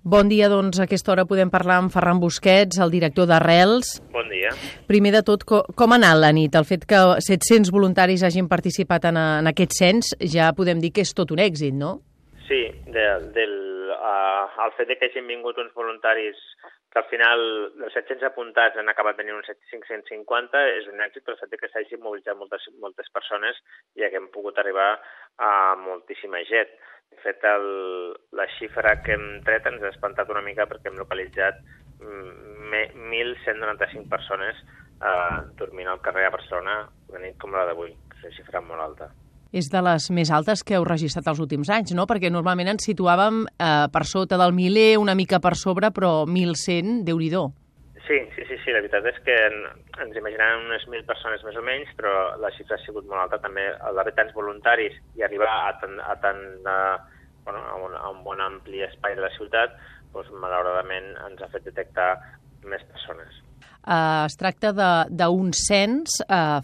Bon dia, doncs a aquesta hora podem parlar amb Ferran Busquets, el director d'Arrels. Bon dia. Primer de tot, com ha anat la nit? El fet que 700 voluntaris hagin participat en aquest cens ja podem dir que és tot un èxit, no? Sí, el fet que hagin vingut uns voluntaris que al final dels 700 apuntats han acabat tenint uns 550 és un èxit, però el fet que s'hagin mobilitzat moltes persones i haguem pogut arribar a moltíssima gent. De fet, la xifra que hem tret ens ha espantat una mica perquè hem localitzat 1.195 persones dormint al carrer a Barcelona una nit com la d'avui, que és una xifra molt alta. És de les més altes que heu registrat els últims anys, no? Perquè normalment ens situàvem per sota del miler, una mica per sobre, però 1.100, Déu-n'hi-do. Sí, la veritat és que ens imaginàvem unes 1.000 persones més o menys, però la xifra ha sigut molt alta. També d'haver tants voluntaris i arribar a un bon ampli espai de la ciutat, doncs, malauradament ens ha fet detectar més persones. Es tracta d'un cens,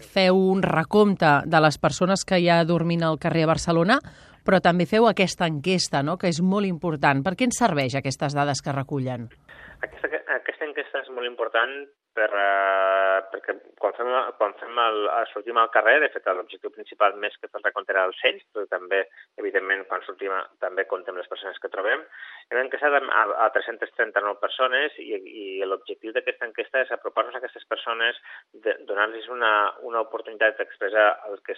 feu un recompte de les persones que hi ha dormint al carrer a Barcelona, però també feu aquesta enquesta, no?, que és molt important. Per què ens serveix aquestes dades que recullen? Aquesta enquesta és molt important perquè quan sortim al carrer, de fet l'objectiu principal més que el recompte era el cens, però també, evidentment, quan sortim també comptem les persones que trobem. Hem enquestat a 339 persones i l'objectiu d'aquesta enquesta és apropar-nos a aquestes persones, donar-los una oportunitat d'expressar el que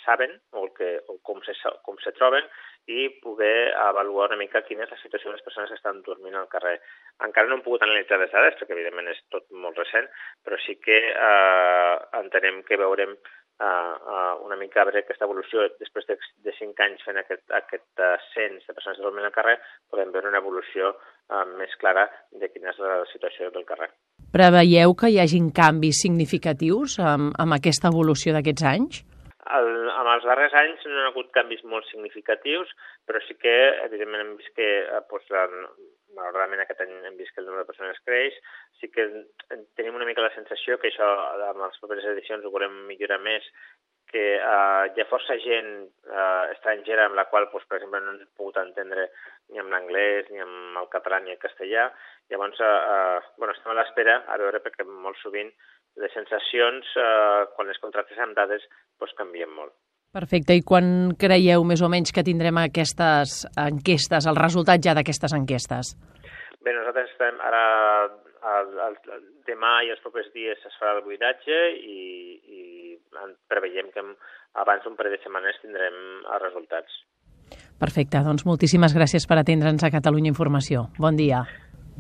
saben o com se troben i poder avaluar una mica quina és la situació de les persones que estan dormint al carrer. Encara no hem pogut analitzar les dades, perquè evidentment és tot molt recent, però sí que entenem que veurem una mica a veure aquesta evolució. Després de 5 anys fent aquest cens de persones que dormint al carrer, podem veure una evolució més clara de quina és la situació del carrer. Preveieu que hi hagin canvis significatius amb aquesta evolució d'aquests anys? En els darrers anys no hi ha hagut canvis molt significatius, però sí que, evidentment, hem vist que, malauradament aquest any hem vist que el nombre de persones creix, sí que tenim una mica la sensació que això, amb les properes edicions, ho volem millorar més, que hi ha força gent estrangera amb la qual, per exemple, no ens hem pogut entendre ni amb l'anglès, ni amb el català, ni el castellà. Llavors, estem a l'espera a veure, perquè molt sovint les sensacions, quan les contractes amb dades, canvien molt. Perfecte. I quan creieu més o menys que tindrem aquestes enquestes, el resultat ja d'aquestes enquestes? Bé, nosaltres estem ara, demà i els propers dies es farà el buidatge i preveiem que abans d'un parell de setmanes tindrem els resultats. Perfecte. Doncs moltíssimes gràcies per atendre'ns a Catalunya Informació. Bon dia.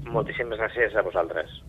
Moltíssimes gràcies a vosaltres.